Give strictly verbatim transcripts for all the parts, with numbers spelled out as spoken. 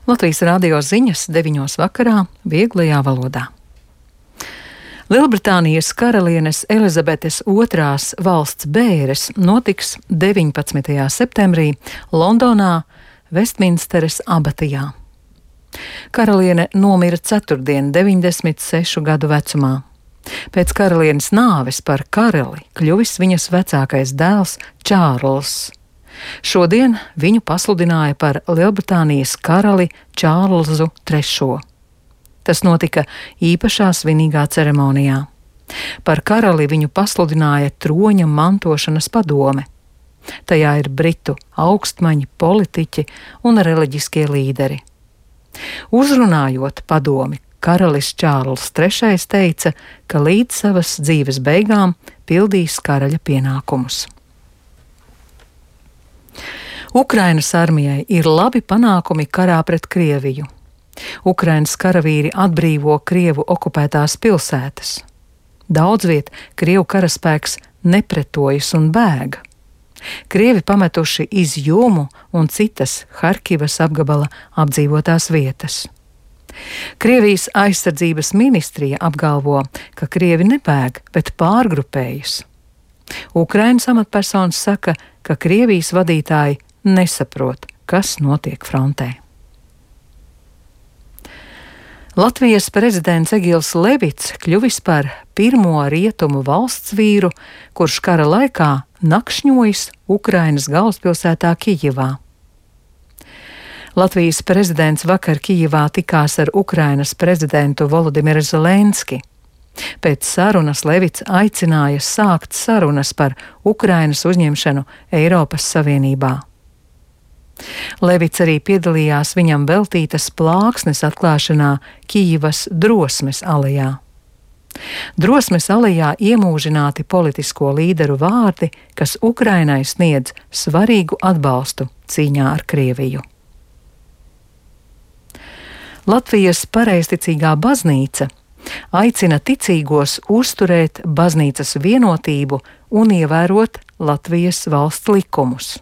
Latvijas radio ziņas deviņos vakarā vieglajā valodā. Lielbritānijas karalienes Elizabetes otrās valsts bēres notiks deviņpadsmitajā septembrī Londonā, Vestminsteres abatijā. Karaliene nomira ceturtdien, deviņdesmit sešu gadu vecumā. Pēc karalienes nāves par karali kļuvis viņas vecākais dēls Čārls. Šodien viņu pasludināja par Lielbritānijas karali Čārlzu trešo. Tas notika īpašā svinīgā ceremonijā. Par karali viņu pasludināja troņa mantošanas padome. Tajā ir britu augstmaņi, politiķi un reliģiskie līderi. Uzrunājot padomi, karalis Čārls trešais teica, ka līdz savas dzīves beigām pildīs karaļa pienākumus. Ukrainas armijai ir labi panākumi karā pret Krieviju. Ukrainas karavīri atbrīvo Krievu okupētās pilsētas. Daudz viet Krievu karaspēks nepretojas un bēga. Krievi pametuši Izjumu un citas Harkivas apgabala apdzīvotās vietas. Krievijas aizsardzības ministrija apgalvo, ka Krievi nebēg, bet pārgrupējas. Ukrainas amatpersonas saka, ka Krievijas vadītāji nesaprot, kas notiek frontē. Latvijas prezidents Egils Levits kļuvis par pirmo rietumu valsts vīru, kurš kara laikā nakšņojis Ukrainas galvaspilsētā Kijivā. Latvijas prezidents vakar Kijivā tikās ar Ukrainas prezidentu Volodimiru Zelenski. Pēc sarunas Levits aicināja sākt sarunas par Ukrainas uzņemšanu Eiropas Savienībā. Levits arī piedalījās viņam veltītas plāksnes atklāšanā Kijivas Drosmes alejā. Drosmes alejā iemūžināti politisko līderu vārdi, kas Ukrainai sniedz svarīgu atbalstu cīņā ar Krieviju. Latvijas pareizticīgā baznīca aicina ticīgos uzturēt baznīcas vienotību un ievērot Latvijas valsts likumus.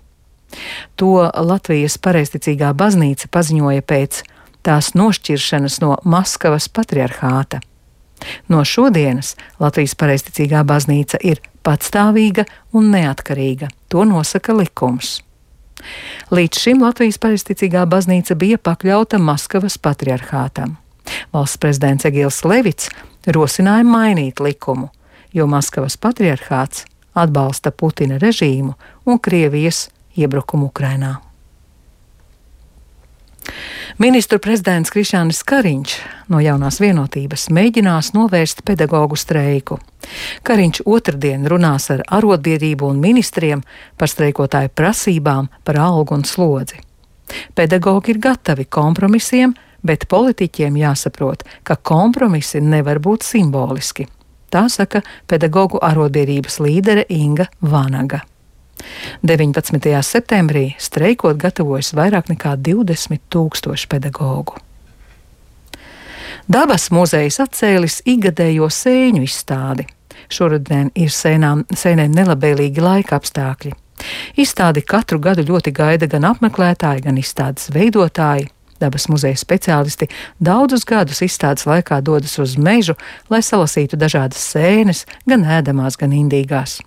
To Latvijas pareizticīgā baznīca paziņoja pēc tās nošķiršanas no Maskavas patriarhāta. No šodienas Latvijas pareizticīgā baznīca ir patstāvīga un neatkarīga, to nosaka likums. Līdz šim Latvijas pareizticīgā baznīca bija pakļauta Maskavas patriarhātam. Valsts prezidents Egils Levits rosināja mainīt likumu, jo Maskavas patriarhāts atbalsta Putina režīmu un Krievijas iebrukumu Ukrainā. Ministru prezidents Krišjānis Kariņš no Jaunās vienotības mēģinās novērst pedagogu streiku. Kariņš otrdien runās ar arotbiedrību un ministriem par streikotāju prasībām par algu un slodzi. Pedagogi ir gatavi kompromisiem, bet politiķiem jāsaprot, ka kompromisi nevar būt simboliski. Tā saka pedagogu arotbiedrības līdere Inga Vanaga. deviņpadsmitajā septembrī streikot gatavojas vairāk nekā divdesmit tūkstoši pedagogu. Dabas muzejs atcēlis ikgadējo sēņu izstādi. Šoruden ir sēnām, sēnēm nelabvēlīgi laika apstākļi. Izstādi katru gadu ļoti gaida gan apmeklētāji, gan izstādes veidotāji. Dabas muzeja speciālisti daudzus gadus izstādes laikā dodas uz mežu, lai salasītu dažādas sēnes, gan ēdamās, gan indīgās.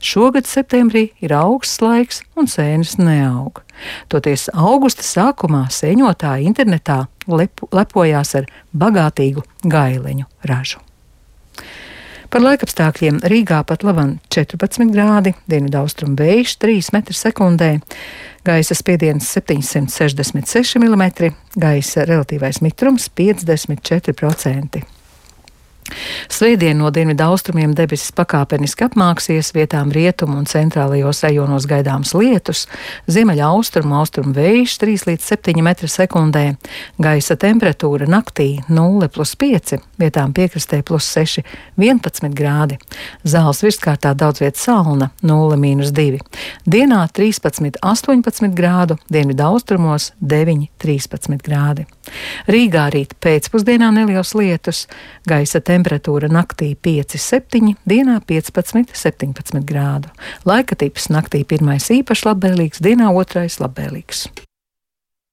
Šogad septembrī ir augsts laiks un sēnes neaug. Toties augusta sākumā sēņotāji internetā lepo, lepojās ar bagātīgu gaileņu ražu. Par laikapstākļiem Rīgā pat laban četrpadsmit grādi, dienvidaustrumu vējš trīs metri sekundē, gaisa spiediens septiņsimt sešdesmit seši milimetri, gaisa relatīvais mitrums piecdesmit četri procenti. Svētdien no dienvidaustrumiem debesis pakāpeniski apmāksies, vietām rietumu un centrālajos rajonos gaidāms lietus, ziemeļa austrumu austrumu vējš trīs līdz septiņi metri sekundē, gaisa temperatūra naktī nulle plus pieci, vietām piekrastē plus seši, vienpadsmit grādi, zāles virskārtā daudz viet salna nulle mīnus divi, dienā trīspadsmit astoņpadsmit grādu, dienvidaustrumos deviņi trīspadsmit grādi. Rīgā rīt pēcpusdienā neliels lietus, gaisa temperatūra naktī pieci septiņi, dienā piecpadsmit septiņpadsmit grādu. Laika tips naktī pirmais īpaši labvēlīgs, dienā otrais labvēlīgs.